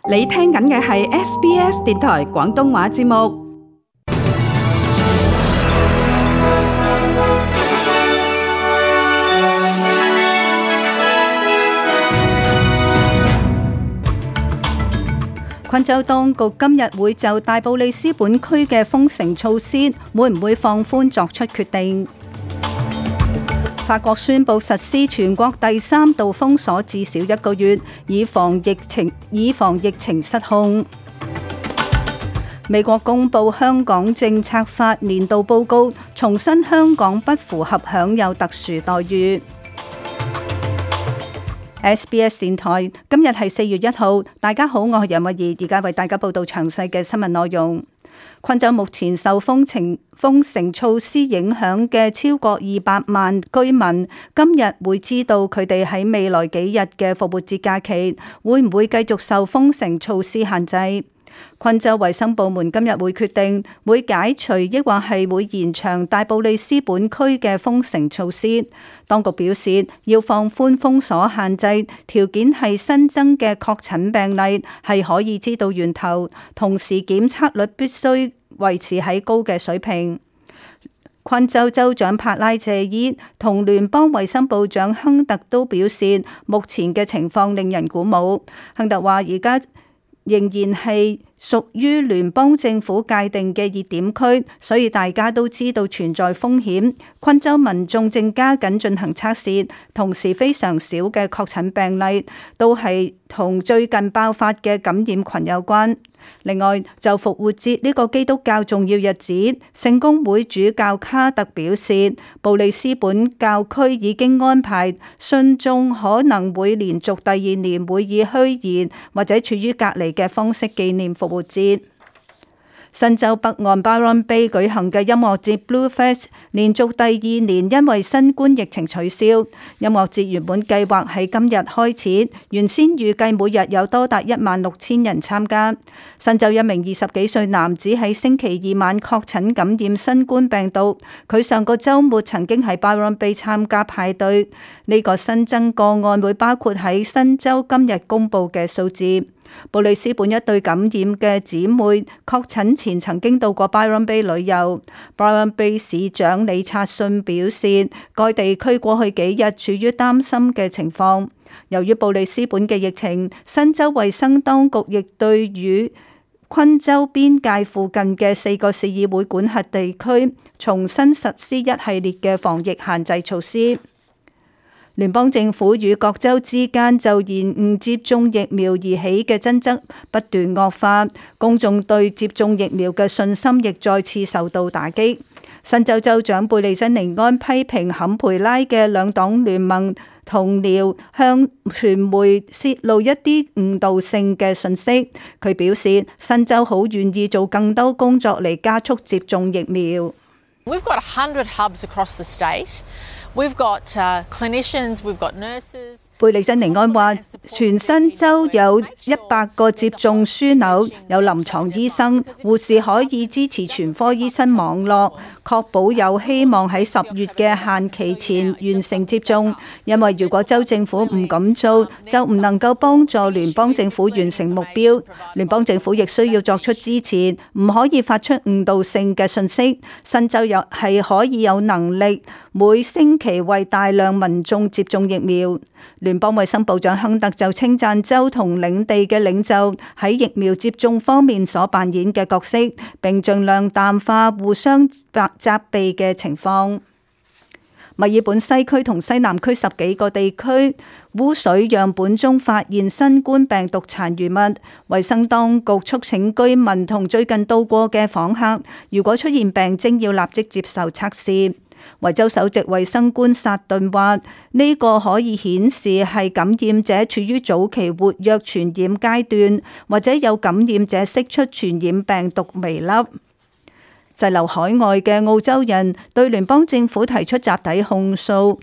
你聽緊嘅係 SBS 電台廣東話節目。昆州當局今日會就大布里斯本區嘅封城措施會唔會放寬作出決定。法國宣布實施全國第3度封鎖至少1個月，以防疫情失控。美國公布香港政策法年度報告，重申香港不符合享有特殊待遇。SBS 電台今日係4月1號，大家好，我係楊慧儀，而家為大家報道詳細嘅新聞內容。昆州目前受封城措施影響嘅超過200萬居民，今日會知道佢哋喺未來幾日嘅復活節假期會唔會繼續受封城措施限制。昆州衛生部門今日會決定會解除抑或係會延長大布里斯本區嘅封城措施。當局表示要放寬封鎖限制，條件係新增嘅確診病例係可以知道源頭，同時檢測率必須維持喺高嘅水平。昆州州長帕拉謝伊同聯邦衛生部長亨特都表示，目前嘅情況令人鼓舞。亨特話而家仍然係屬於聯邦政府界定嘅熱點區，所以大家都知道存在風險。昆州民眾正加緊進行測試，同時非常少嘅確診病例都係同最近爆發嘅感染群有關。另外，就復活節呢個基督教重要日子，聖公會主教卡特表示，布里斯本教區已經安排信眾可能會連續第2年會以虛擬或者處於隔離嘅方式紀念復活節。新州北岸 Byron Bay 舉行嘅音樂節 Bluefest 連續第2年因為新冠疫情取消。音樂節原本計劃喺今日開始，原先預計每日有多達16,000人參加。新州一名20幾歲男子喺星期2晚確診感染新冠病毒，佢上個週末曾經喺 Byron Bay 參加派對。呢個新增個案會包括喺新州今日公佈嘅數字。布里斯本一對感染嘅姊妹確診前曾經到過 Byron Bay 旅遊。Byron Bay 市長李察信表示，該地區過去幾日處於擔心嘅情況。由於布里斯本嘅疫情，新州衛生當局亦對與昆州邊界附近嘅4個市議會管轄地區重新實施一系列嘅防疫限制措施。聯邦政府與各州之間就延誤接種疫苗而起嘅爭執不斷惡化，公眾對接種疫苗嘅信心亦再次受到打擊。新州州長貝利珍尼安批評坎培拉嘅兩黨聯盟同僚向傳媒泄露一啲誤導性嘅信息。佢表示，新州好願意做更多工作嚟加速接種疫苗。We've got 100 hubs across the state. We've got clinicians, we've got nurses. 貝利珍尼安話，全新州有100個接種樞紐，有臨床醫生、護士可以支持全科醫生網絡，確保有希望喺10月嘅限期前完成接種。因為如果州政府唔咁做，就唔能夠幫助聯邦政府完成目標。聯邦政府亦需要作出支持，唔可以發出誤導性嘅信息。新州又係可以有能力每星期為大量民眾接種疫苗。聯邦衛生部長亨特就稱讚州同領地嘅領袖喺疫苗接種方面所扮演嘅角色，並盡量淡化互相責備嘅情況。墨爾本西區同西南區10幾個地區污水樣本中發現新冠病毒殘餘物，衛生當局促請居民同最近到過嘅訪客，如果出現病徵要立即接受測試。維州首席衛生官薩頓話：呢個可以顯示係感染者處於早期活躍傳染階段，或者有感染者釋出傳染病毒微粒。滯留海外嘅澳洲人對聯邦政府提出集體控訴，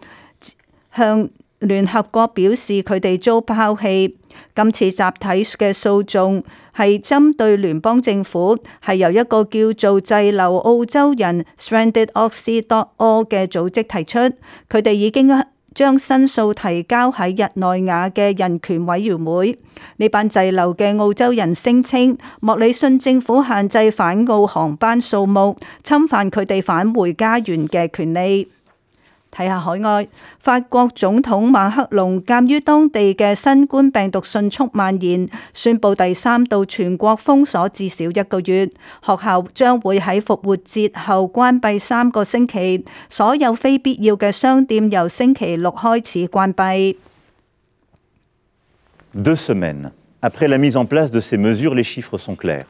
向聯合國表示佢哋遭拋棄。今次集體嘅訴訟係針對聯邦政府，係由一個叫做滯留澳洲人 stranded Aussie.org 嘅組織提出。佢哋已經將申訴提交喺日內瓦嘅人權委員會。呢班滯留嘅澳洲人聲稱，莫里遜政府限制返澳航班數目，侵犯佢哋返回家園嘅權利。睇下海外，法國總統馬克龍鑑於當地嘅新冠病毒迅速蔓延，宣布第3度全國封鎖至少1個月。學校將會喺復活節後關閉3個星期，所有非必要嘅商店由星期6開始關閉。2 semaines après la mise en place de ces mesures, les chiffres sont clairs.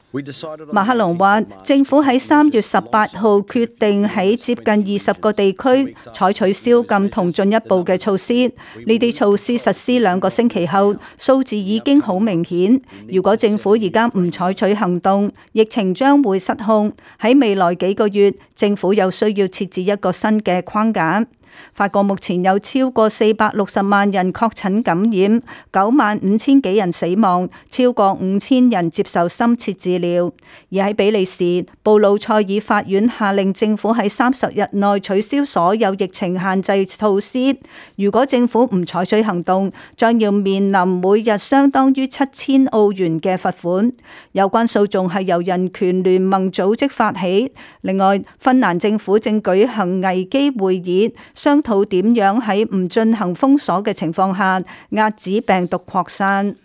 馬克龍話，政府喺3月18號決定喺接近20個地區採取宵禁同進一步嘅措施。呢啲措施實施2個星期後，數字已經好明顯。如果政府而家唔採取行動，疫情將會失控。喺未來幾個月，政府又需要設置一個新嘅框架。法國目前有超過460萬人確診感染，95000幾人死亡，超過5000人接受深切治療。而喺比利時，布魯塞爾法院下令政府喺30日內取消所有疫情限制措施。如果政府唔採取行動，將要面臨每日相當於7000澳元嘅罰款。有關訴訟係由人權聯盟組織發起。另外，芬蘭政府正舉行危機會議，商討點樣喺唔進行封鎖嘅情況下壓止病毒擴散。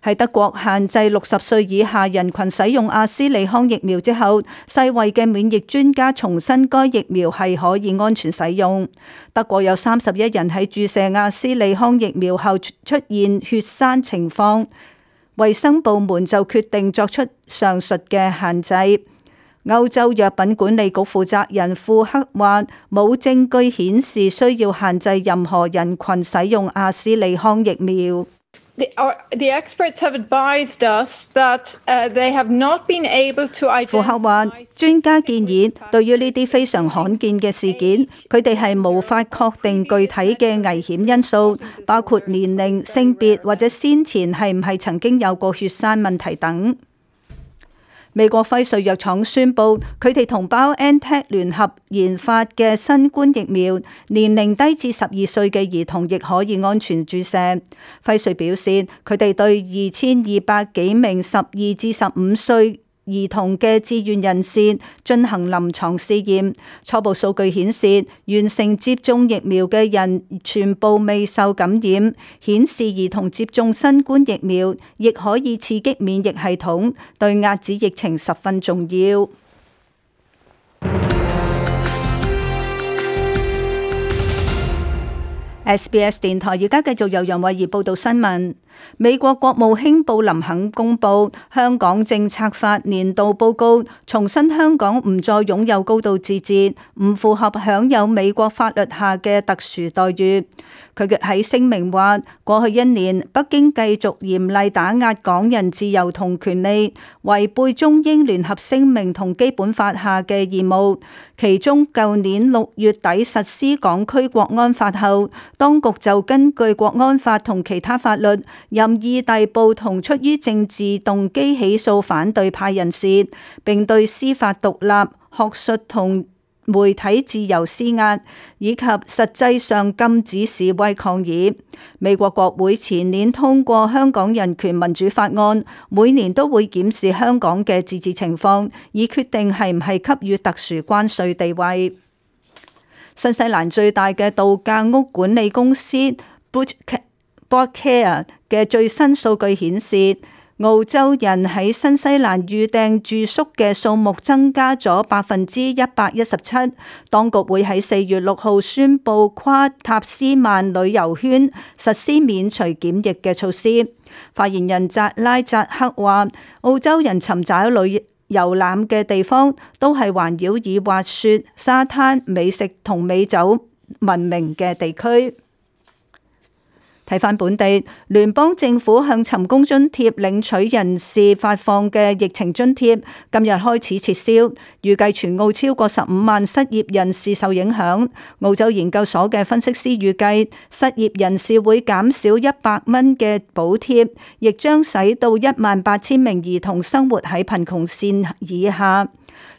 喺德國限制60歲以下人群使用阿斯利康疫苗之後，世衛嘅免疫專家重申該疫苗係可以安全使用。德國有31人喺注射阿斯利康疫苗後出現血栓情況，衛生部門就決定作出上述嘅限制。歐洲藥品管理局負責人庫克話：冇證據顯示需要限制任何人群使用阿斯利康疫苗。The experts have advised us that they have not been able to identify。庫克話：專家建議，對於呢啲非常罕見嘅事件，佢哋係無法確定具體嘅危險因素，包括年齡、性別或者先前係唔係曾經有過血栓問題等。美國輝瑞藥廠宣布，佢哋同 BioNTech 聯合研發嘅新冠疫苗，年齡低至12歲嘅兒童亦可以安全注射。輝瑞表示，佢哋對2200幾名12至15歲兒童嘅志願人士進行臨床試驗，初步數據顯示，完成接種疫苗嘅人全部未受感染，顯示兒童接種新冠疫苗亦可以刺激免疫系統，對遏止疫情十分重要。SBS 電台而家繼續由楊慧儀報道新聞。美國國務卿布林肯公布香港政策法年度報告，重申香港唔再擁有高度自治，唔符合享有美國法律下嘅特殊待遇。佢喺聲明話，過去1年，北京繼續嚴厲打壓港人自由同權利，違背中英聯合聲明同基本法下嘅義務。其中，舊年6月底實施港區國安法後，當局就根據國安法同其他法律，任意逮捕同出於政治動機起訴反對派人士，並對司法獨立、學術同媒體自由施壓，以及實際上禁止示威抗議。美國國會前年通過香港人權民主法案，每年都會檢視香港嘅自治情況，以決定係唔係給予特殊關稅地位。新西蘭最大嘅度假屋管理公司 Bookcare 嘅最新數據顯示，澳洲人喺新西蘭預訂住宿嘅數目增加咗117%。當局會喺4月6號宣布跨塔斯曼旅遊圈實施免除檢疫嘅措施。發言人扎拉扎克話，澳洲人尋找旅遊覽嘅地方都係環繞以滑雪、沙灘、美食同美酒聞名嘅地區。睇返本地，聯邦政府向尋工津貼領取人士發放嘅疫情津貼，今日開始撤銷，預計全澳超過15萬失業人士受影響。澳洲研究所嘅分析師預計，失業人士會減少100蚊嘅補貼，亦將使到18000名兒童生活喺貧窮線以下。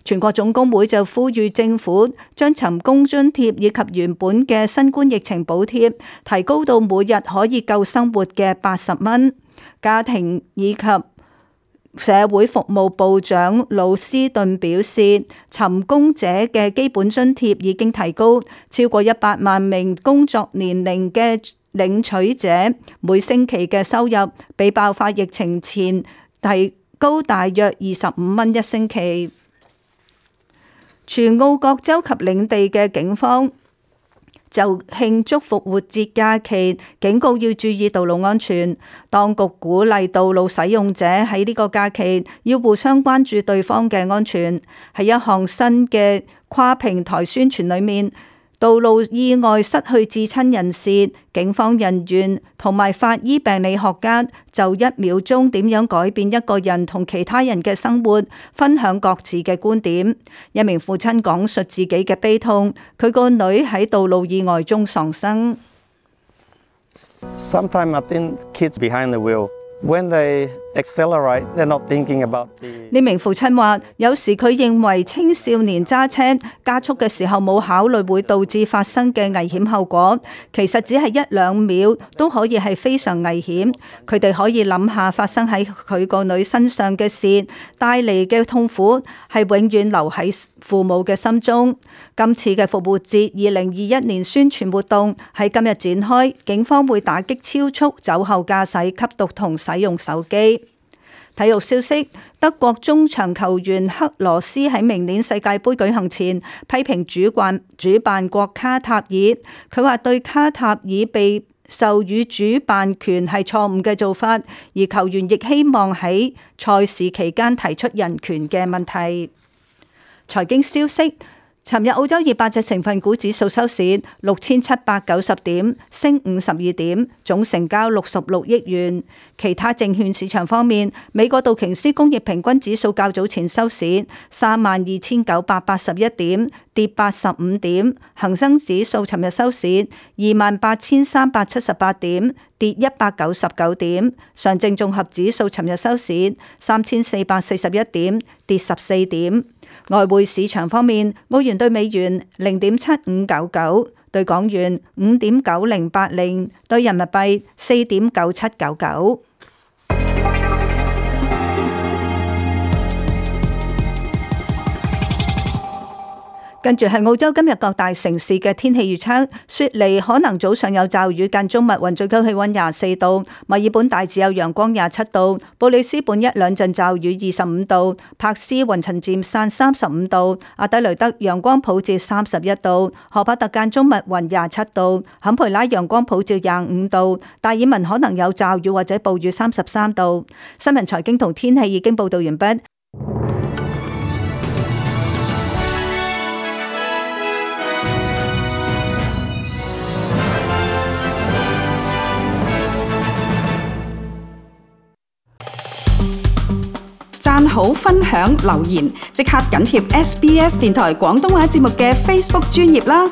全國總工會就呼籲政府將尋工津貼以及原本嘅新冠疫情補貼提高到每日可以夠生活嘅80蚊。家庭以及社會服務部長魯斯頓表示，尋工者嘅基本津貼已經提高，超過100萬名工作年齡嘅領取者每星期嘅收入比爆發疫情前提高大約25蚊一星期。全澳各州及領地嘅警方就慶祝復活節假期，警告要注意道路安全。當局鼓勵道路使用者喺呢個假期要互相關注對方嘅安全。喺一項新嘅跨平台宣傳裏面，道路意外失去至親人士，警方人員同埋法醫病理學家就1秒鐘點樣改變一個人同其他人嘅生活，分享各自嘅觀點。一名父親講述自己嘅悲痛，佢個女喺道路意外中喪生。Sometimes I think kids behind the wheel, when they accelerate, they're not thinking about the... 呢名父親話，有時佢認為青少年揸車加速嘅時候冇考慮會導致發生嘅危險後果，其實只係1-2秒都可以係非常危險。佢哋可以諗下發生喺佢個女身上嘅事帶嚟嘅痛苦係永遠留喺父母嘅心中。今次嘅復活節2021年宣傳活動喺今日展開，警方會打擊超速、酒後駕駛、吸毒同使用手機。體育消息，德國中場球員克羅斯喺明年世界盃舉行前批評主辦國卡塔爾，佢話對卡塔爾被授予主辦權係錯誤嘅做法，而球員亦希望喺賽事期間提出人權嘅問題。財經消息，尋日澳洲200隻成分股指數收市6790點，升52點，總成交66億元。其他證券市場方面，美國道瓊斯工業平均指數較早前收市32981點，跌85點；恒生指數尋日收市28378點，跌199點；上證綜合指數尋日收市3441點，跌14點。外匯市場方面，澳元對美元0.7599，對港元5.9080，對人民幣4.9799。跟住係澳洲今日各大城市嘅天氣預測，雪梨可能早上有驟雨間中密雲，最高氣溫24度；墨爾本大致有陽光27度；布里斯本1-2陣驟雨25度；珀斯雲層漸散35度；阿德雷德陽光普照31度；荷伯特間中密雲27度；坎培拉陽光普照25度；達爾文可能有驟雨或者暴雨33度。新聞財經同天氣已經報道完畢。讚好、分享、留言，即刻緊貼SBS 電台廣東話節目嘅 Facebook 專頁啦！